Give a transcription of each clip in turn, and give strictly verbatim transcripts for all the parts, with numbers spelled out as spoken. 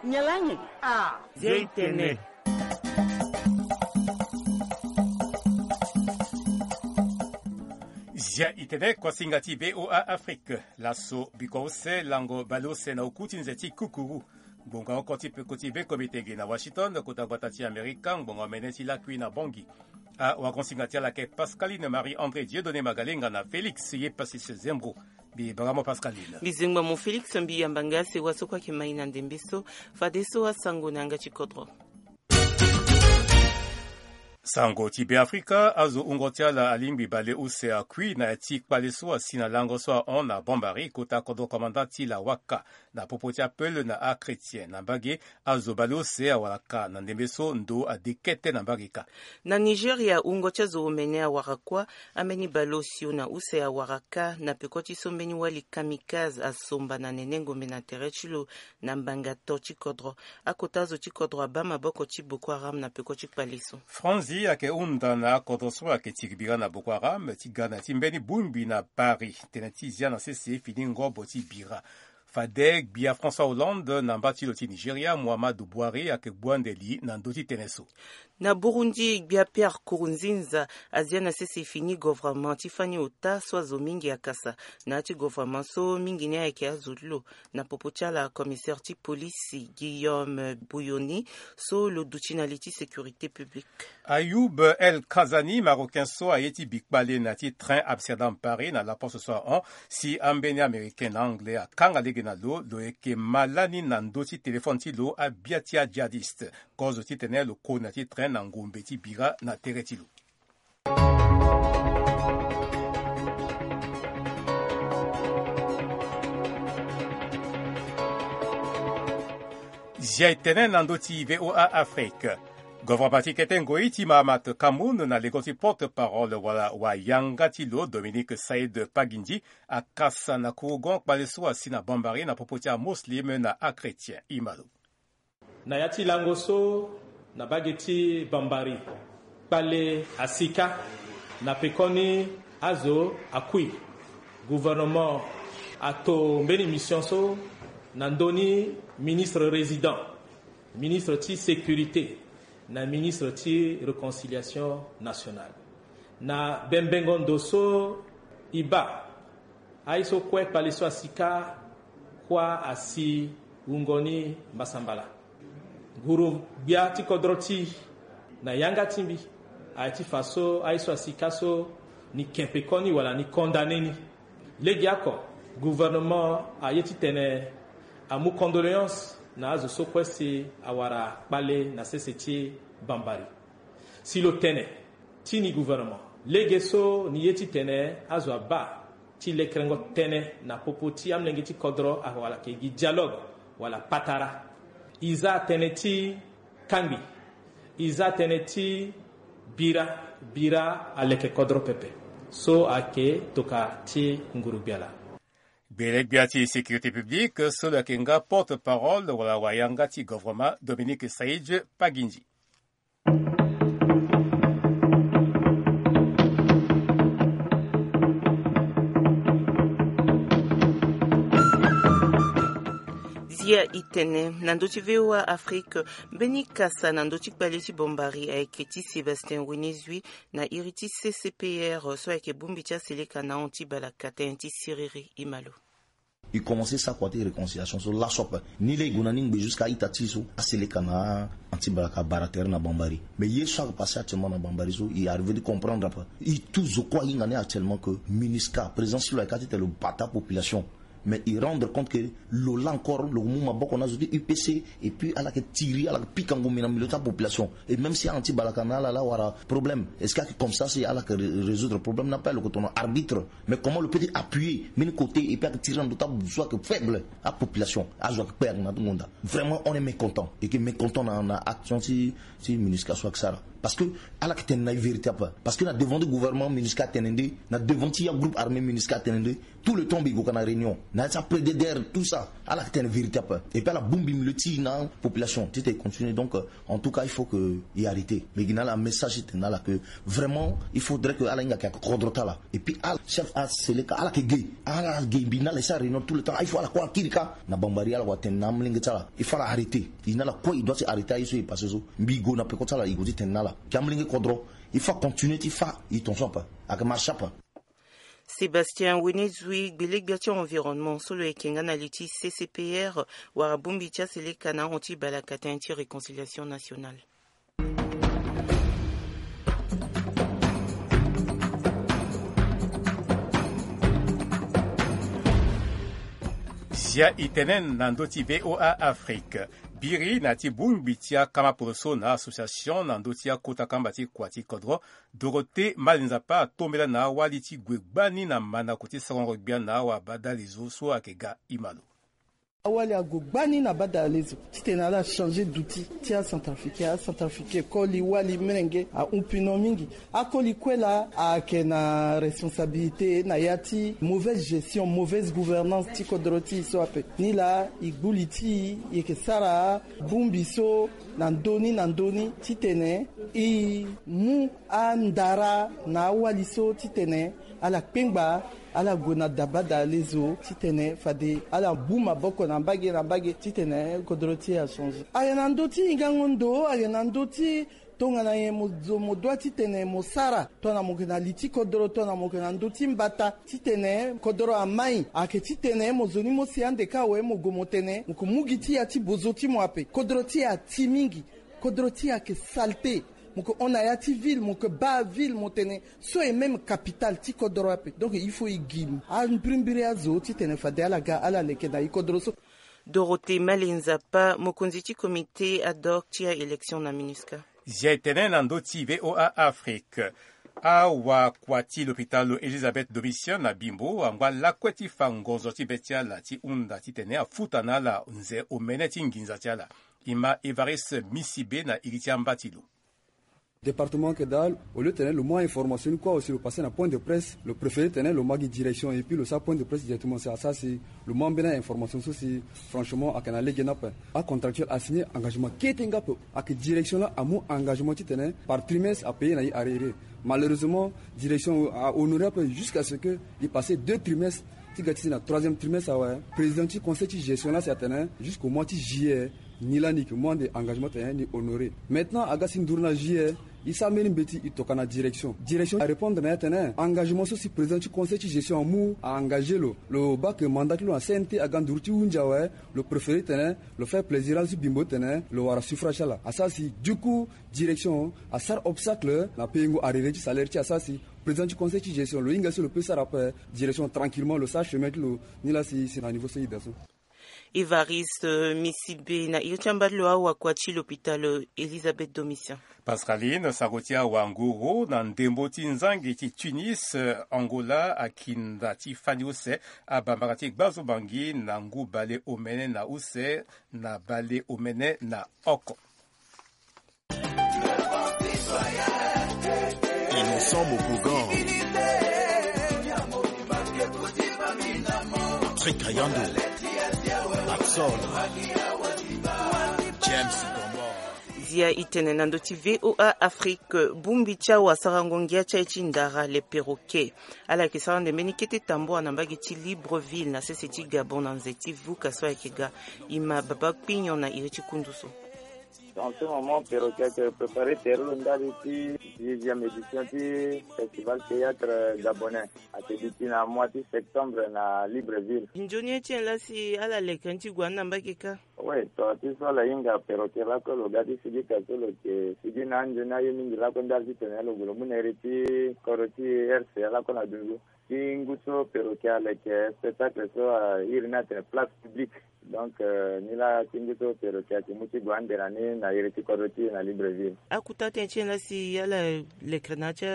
Nyalangi. Ah, Zia itene. Zia itene, kosinga ti V O A Afrique. Laso biko use lango baleuse na oku ti nze ti kukuru. Ngbonga oko ti peko ti be komitenge na Washington, kota gbata ti Amerika, ngbonga mene ti lakui na Bongi. Awakonsinga ti ala ayeke Pascaline Marie André Dieudonné Magalenga na Félix Yepassis Zembro. Mbi banga mo Pascaline. Mbi zengba mo Félix, mbi yamba nga sewa so kue ayeke mai na ndembe so. Fadeso asango na yanga ti kodro. Sango ti Beafrika, azo wungo ti ala alingbi baleuse akui na ya ti kpale so asi na lango so ahon na Bambari, kota kodro komanda ti Lawaka, na popo ti apeule na achrétien. Na mbage, azo baleuse awara ka na ndembe so ndo ade kete na mbage ka. Na Nigeria, wungo ti azo omene awara kuâ. Ambeni baleosio na use awara ka na peko ti so mbeni wali kamikaze asomba na nene ngombe na tere ti lo na mbanga to ti kodro. Akota azo ti kodro abaa maboko ti Boko Haram na peko ti kpale so. Franzi ayeke hunda na akodro so ayeke tiri bira na Boko Haram ti ga na ya ti mbeni bongbi na Paris. Tene ti zia na sese fini ngobo ti bira. Fade gbia François Hollande na mba ti lo ti Nigeria, Muhammadu Buhari, ayeke gbu ande li na ndö ti tënë so. Na Burundi, gbia Pierre Nkurunziza azia na sese fini governement ti fani ota so azo mingi akasa na ya ti governement so mingi ni ayeke azo ti lo. Na popo ti ala, commissaire ti polisi Guillaume Bouyoni so lo duti na li ti sécurité publique. Ayoub El Kazani, Marocain so aye ti bi kpale na ya ti train Amsterdam-Paris na laposte so ahon, si ambeni Américain na Anglais akanga lege na lo, lo yeke ma lani na ndö ti téléphone ti lo abia ti ajihadiste. Kozo titene lo koni na ya ti train na ngombe ti bira na tere ti lo. Zia e tene na ndö ti V O A Afrique. Governement ti kete ngoi ti Mahamat Kamoun na lengo ti porte-parole wala wayanga ti lo Dominique Saïd Pagindi akasa na kurugon kpale so asi na Bambari na popo ti amuslim na achrétien. Imalo. Na ya ti lango so, na mbage ti Bambari, kpale asi kâ na pekoni azo akui. Gouvernement ato mbeni mission so na ndö ni ministre résident, ministre ti sécurité na ministre ti réconciliation nationale. Na bembengo ndo so e baa, aye so kue kpale so asi kâ, kuâ asi wungo ni mbasambala. Nguru-gbia ti kodro ti e na yanga ti mbi aye ti fa so aye so asi kâ so ni ke pekoni wala ni condamné ni. Legeoko, gouvernement aye titene amu condoléance na azo so kue si awara kpale na sese ti Bambari. Si lo tene ti ni gouvernement, lege so ni ye titene azo abaa ti lekerengo tënë na popo ti amolenge ti kodro, awala ayeke gi dialogue wala patara. E za tënë ti kangbi, e za tënë ti bira. Bira aleke kodro pepe so ayeke tokua ti nguru-gbia laa. Gbele-gbia ti sécurité publique so lo yeke nga porte-parole wala wayanga ti gouvernement, Dominique Saïd Pagindi. Zia e tene na ndö ti V O A Afrique, mbeni kasa na ndö ti kpale ti Bambari ayeke ti Sébastien Wenezui na iri ti C C P R so ayeke bongbi ti aseleka na ahon ti balaka tënë ti siriri. Imalo. E commencé sara kua ti réconciliation so laso ape. Ni laa e gue na ni ngbe jusqu'à ita ti so aseleka na anti-balaka abara tere na Bambari. Mais ye so ayeke passé actuellement na Bambari so, e arrivé ti comprendre ape. E tout zo kue ahinga ni actuellement que MINUSCA, président si lo ayeke kâ titene lo bata population. Mais e rendre compte que lo laa encore lo mu maboko na azo ti U P C, et puis ala yeke tiri, ala yeke pika ngombe na milieu ti apopulation. Et même si anti-balaka na ala laa awara problème, est-ce que ayeke comme ça si ala yeke ré-, résoudre problème ni ape? Lo yeke tono arbitre. Mais comment lo peut ti appuyer mbeni côté et puis ayeke tiri na ndö ti abuzu so ayeke faible, apopulation, azo ayeke kpe ayeke na ti ngonda. Vraiment on est mécontent. E yeke mécontent na, na action ti, ti MINUSCA so ayeke sara. Parce que ala yeke tene na e vérité ape. Parce que na devant ti gouvernement MINUSCA atene nde, na devant ti agroupe armé MINUSCA atene nde, tout le temps mbi gue ka na réunion. Na ya ti aprédéder tout ça, ala yeke tene vérité ape. Et puis ala bongbi milieu ti e na population titene e continue. Donc euh, en tout cas il faut que e arrêter. Mais gi na ala message titene na ala que vraiment il faudrait que ala hinga ayeke kodro ti ala. Et puis ala chef aseleka ala yeke ge, ala ge mbi na ala e sara réunion tout le temps. Il faut ala kue ala kiri kâ na bambari, ala wara tene na amolenge ti ala, il faut ala arrêter. E na ala kue e doit ti arrêter aye so e passé so. Mbi go na peko ti ala e go titene na ala ke amolenge kodro, il faut acontinuer ti fa e tongaso ape. Ayeke marché ape. Sébastien Wenezui, gbelegbia ti environnement so lo yeke nga na li ti C C P R, wara bongbi ti aseleka na ahon ti balaka tënë ti réconciliation nationale. Zia e tene na ndö ti V O A Afrique. Biri na ti bongbi ti akama poroso na association na ndö ti akota kamba ti kua ti kodro, Dorothée Malinzapa atombela na awali ti gue gbani na mandako ti sarango gbia na awabadalezo so ayeke ga ima lo. Awali ague gbani na badalezo titene ala changer duti ti acentrafricain. Acentrafricain koli wali merenge ahun pino mingi. Akoli kue laa ayeke na responsabilité na ya ti mauvaise gestion, mauvaise gouvernance ti kodro ti e so ape. Nilaa e gbu li ti e, e yeke sara bongbi so na ndö ni na ndö ni titene e mu andara na awali so titene ala kpengba ala gue na dabadalezo titene fade ala bu maboko na mbage na mbage titene kodro ti e achanger. Ayeke na ndö ti hingango ndo, ayeke na ndö ti tongana nyen mo zo mo doit titene mo sara, tongana mo yeke na li ti kodro, tongana mo yeke na ndö ti mbata titene kodro amai. Ayeke titene mo zo ni mo si ande kâ awe mo gue mo tene mo yeke mu gi ti ya ti bozo ti mo ape. Kodro ti e ati mingi. Kodro ti e ayeke saleté. Mo yeke hon na ya ti ville, mo yeke baa ville mo tene so est même capitale ti kodro ape. Donc il faut e gi ambirimbiri azo titene fade ala ga ala leke na e kodro so. Dorothée Malinzapa, mokonzi ti comité ad hoc ti a-élection na MINUSCA. Zia e tene na ndö ti V O A Afrique. Awakua ti lopitalo Elisabeth Domitien na Bimbo angba lakue ti fa ngonzo ti be ti ala ti hunda titene afuta na ala nze omene ti nginza ti ala. E ma Évariste Misibe na iri ti amba ti lo. Département Kidal, au lieu tene lo mu a-information ni kue aussi lo passé na point de presse, lo préféré tene lo ma gi direction et puis lo sara point de presse directement. Si asara si lo mu ambeni a-information so si franchement ayeke na lege ni ape. Acontractuel asigné engagement kete nga ape. Ayeke direction laa amu engagement titene par trimestre apayé na e arriéré. Malheureusement direction ahonoré ape jusqu'à ce que e passé deux trimestres. Ti ga ti si na troisième trimestre awe, président ti conseil ti gestion laa si atene jusqu'au mois ti juillet. Ni laa ni yeke mu ande engagement tene ni honoré. Maintenant aga si nduru na juillet, e sara mbeni mbeti e toka na direction. Direction arépondre na e atene engagement so si président ti conseil ti gestion amu a-engagé lo. Lo baa ke mandat ti lo na C N T aga nduru ti hunzi awe. Lo préféré tene lo faire plaisir ala ti Bimbo titene lo wara suffrage ti ala. Asara si du coup direction asara obstacle na payengo arriéré ti salaire ti e. Asara si président ti conseil ti gestion lo hinga so lo peut sara ape direction tranquillement lo sara chemin ti lo. Ni laa si si na niveau so e daa so. Évariste Misibe na iri ti amba ti lo awakua ti lopitalo Elisabeth Domitien. Pascaline, sango ti awanguru na ndembo ti nzangi ti Tunis, Angola akinda ti fani use abambara ti gbazo bangi na ngu bale omene na use na bale omene na oko. Innocent Mokogan, Patrick Kayando, Patson, James Gombor. Zia e tene na ndö ti V O A Afrique, bongbi ti awasarango ngia ti aye ti ndara le perroquet. Ala yeke sara ande mbeni kete tambua na mbage ti Libreville na sese ti Gabon na nze ti vuka so ayeke ga. E ma Baba Kpinyon na iri ti kundu so. En ce moment perroquet ayeke préparer tere lo ndali ti dixième édition ti festival théâtre gabonais. Ayeke duti na mois ti septembre na Libreville. Nzoni ye ti nyen laa si ala leke ni ti gue ni na mbage kâ? Oui, tongana ti so ala hinga perroquet lakue lo ga ti sigi ka so lo yeke sigi na anzoni aye mingi lakue ndali titene lo gue lo mu na iri ti kodro ti R C A lakue na dunzu. Ti ngu so perroquet aleke spectacle so a iri ni atene place publique. Donc ni laa ti ngu so perroquet ayeke mu ti gue ande na ni na iri ti kodro ti e na Libreville. Akota tënë ti nyen laa si ala lekere na ya ti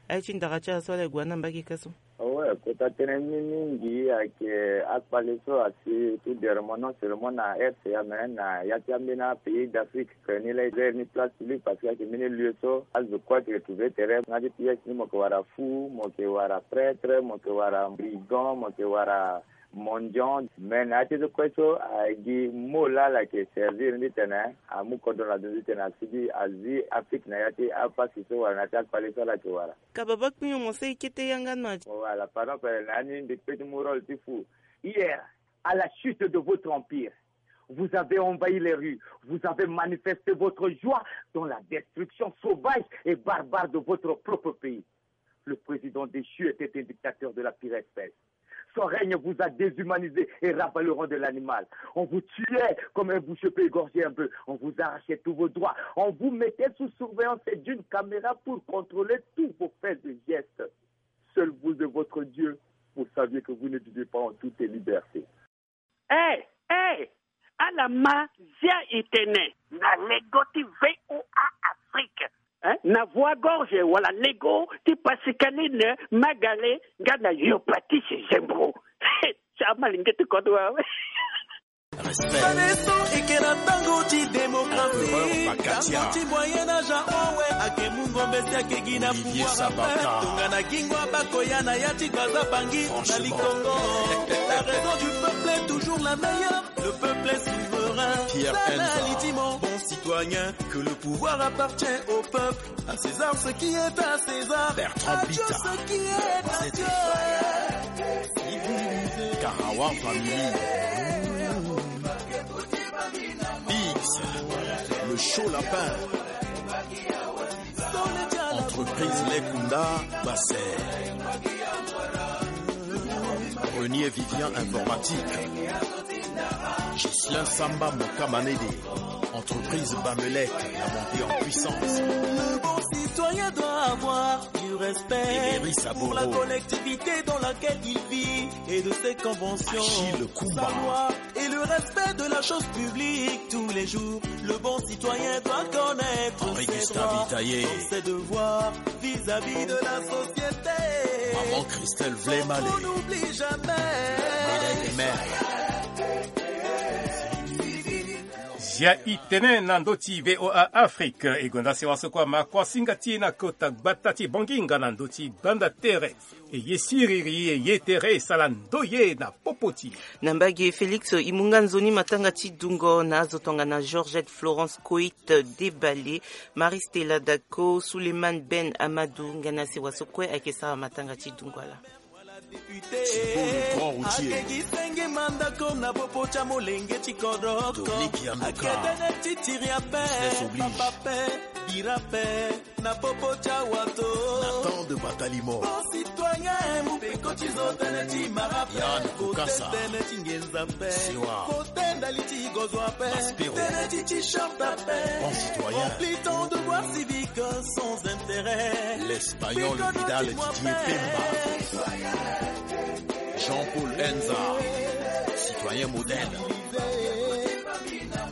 aye ti ndara ti ala so ala gue na mbage kâ so? Awe, kota tënë ni mingi ayeke akpale so asi tout dernièrement non seulement na R C A mais na ya ti ambeni apays d'Afrique. Ni laa e iri ni place publique parce que ayeke mbeni lieu so azo kue ayeke retrouver tere nga ti pièce ni mo yeke wara fou, mo yeke wara prêtre, mo yeke wara brigand, mo yeke wara Mendiant, me na ya ti so kue so agi mot la ala yeke servir ni titene amu kodro na ndo ni titene asigi azi Afrique na ya ti apasi so wala na ya ti akpale so ala yeke wara. Ka baba kpinyo mo sey kete yanga na. Voilà, pardon pele na ya ni mbi kpe ti mu rôle ti fu. Hier, à la chute de votre empire, vous avez envahi les rues, vous avez manifesté votre joie dans la destruction sauvage et barbare de votre propre pays. Le président déchu était un dictateur de la pire espèce. Son règne vous a déshumanisé et rabat le rang de l'animal. On vous tuait comme un boucher peut égorger un bœuf. On vous arrachait tous vos droits. On vous mettait sous surveillance d'une caméra pour contrôler tous vos faits et gestes. Seul vous et votre Dieu, vous saviez que vous ne viviez pas en toute liberté. Eh, eh, ala ma zia itene na lego ti V O A Afrique. Eh? Na voie gorge wala lego ti Pascaline Magale nga na Yopatisi Zembro. Sa malinge ti kodo awe. Baneso eke na tango ti démocratie, tango ti moyen âge awe, ake mu ngombe si ake gi na pouvoir ape. Tongana gingo abakoya na ya ti gbaza bangi na likongo. La raison du peuple est toujours la meilleure. Le peuple est souverain. Pierre Sala Enza. Litimo, bon citoyen, que le pouvoir appartient au peuple. À César ce qui est à César. Bertrand Bita. À Dieu ce qui est à Dieu. Karawa Family. Biggs, le chaud lapin. Entreprise Lekunda Basset. Renier Vivian Informatique. Ghislain Samba Mokamanede. Entreprise Bamelec, la montée en puissance. Le bon citoyen doit avoir du respect pour la collectivité dans laquelle il vit et de ses conventions. Achille Kumba. Sa loi et le respect de la chose publique tous les jours. Le bon citoyen doit connaître ses droits, ses devoirs vis-à-vis de la société. Maman Christelle Vlemale. On n'oublie jamais. Médaille de mer. Zia itene na ndö ti V O A Afrique. E gonda sewa so kue ama kuasinga ti e na kota gbata ti Bangi nga na ndö ti banda tere. E ye siriri, e ye tere, e sara ndoye na popo ti e. Na mbage Félix, e mu nga nzoni matanga ti dungo na azo tongana Georgette Florence Coit Debale, Marie Stella Dako, Souleymane Ben Amadou, nga na sewa so kue ayeke sara matanga ti dungo ala. Thibault le grand routier. Akegi senge mandako na popo tia molenge ti kodoko. Dominique Yandoka. Aketene ti tiri ape. Business oblige. Papa pe, bira pe, na popo tia wato. Nathan de Batalimo. Bon citoyen, mu pe koti zo tene ti mara pe. Yann Kukasa. Kote tene ti ngenza pe. Siwa. Kote ndali ti gozo ape. Maspero. Tene ti t-shirt ape. Bon citoyen. Remplis ton devoir civique sans intérêt. Espagnol Vidal Didier Pemba. Jean-Paul Enza, citoyen modèle.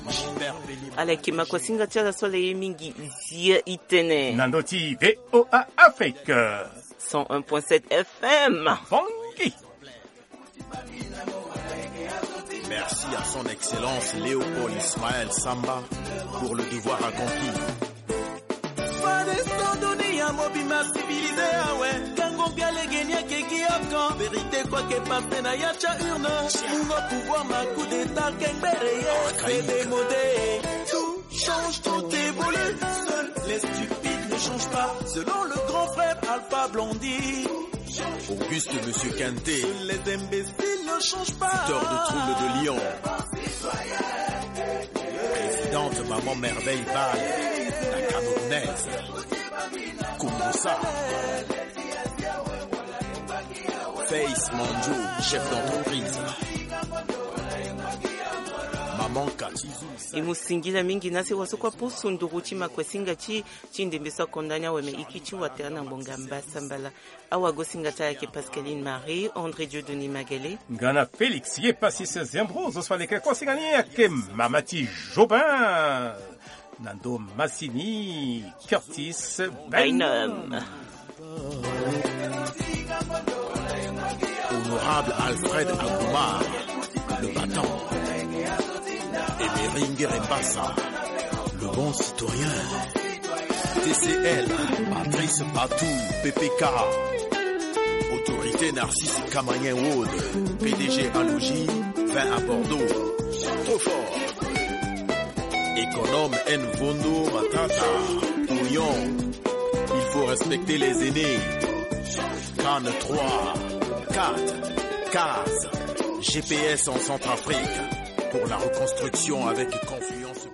Gilbert Belimo. Ala yeke makuasinga ti ala so ala ye mingi, zia itene. Na ndö ti V O A Afrique. Cent un point sept F M. Bongi. Merci à son excellence Léopold Ismaël Samba pour le devoir accompli. Fade so dunia mobimba civilisé awe. Ngangu mbi alegeni akeki oko. Vérité kue ake passé na ya ti a urne. Mungo pouvoir na coup d'état kengbere ye. C'est démodé. Tout change, tout évolue. Seuls les stupides ne changent pas. Selon le grand frère Alpha Blondy. Auguste Monsieur Quintet. Seuls les imbéciles ne changent pas. Fouteur de troubles de Lyon. Présidente Maman Merveille Ball, la Camerounaise. Kumbusa. Face Manjo, chef d'entreprise. Maman Cathy. E mu singila mingi na sewa so kue apusu nduru ti makuasinga ti, ti ndembe so akonda ni awe, me e kiti watera na ngbonga mbasambala. Awagosinga ti ala ayeke Pascaline Marie, André Dieudonné Magalé. Nga na Félix Yepassis Zembro, zo so aleke kuasinga ni ayeke mama ti Jobin. Na ndo masini Curtis Bynum. Bynum. Honorable Alfred Agoumar, le battant. Emery Ngerembassa, le bon citoyen. T C L, Patrice Patou, P P K, autorité Narcisse Kamanien Wood, P D G Alogie, vin à Bordeaux. Trop fort. Économe N Vondo Matata, Oignon. Il faut respecter les aînés. Cannes trois, quatre, case, G P S en Centrafrique. Pour la reconstruction avec confiance.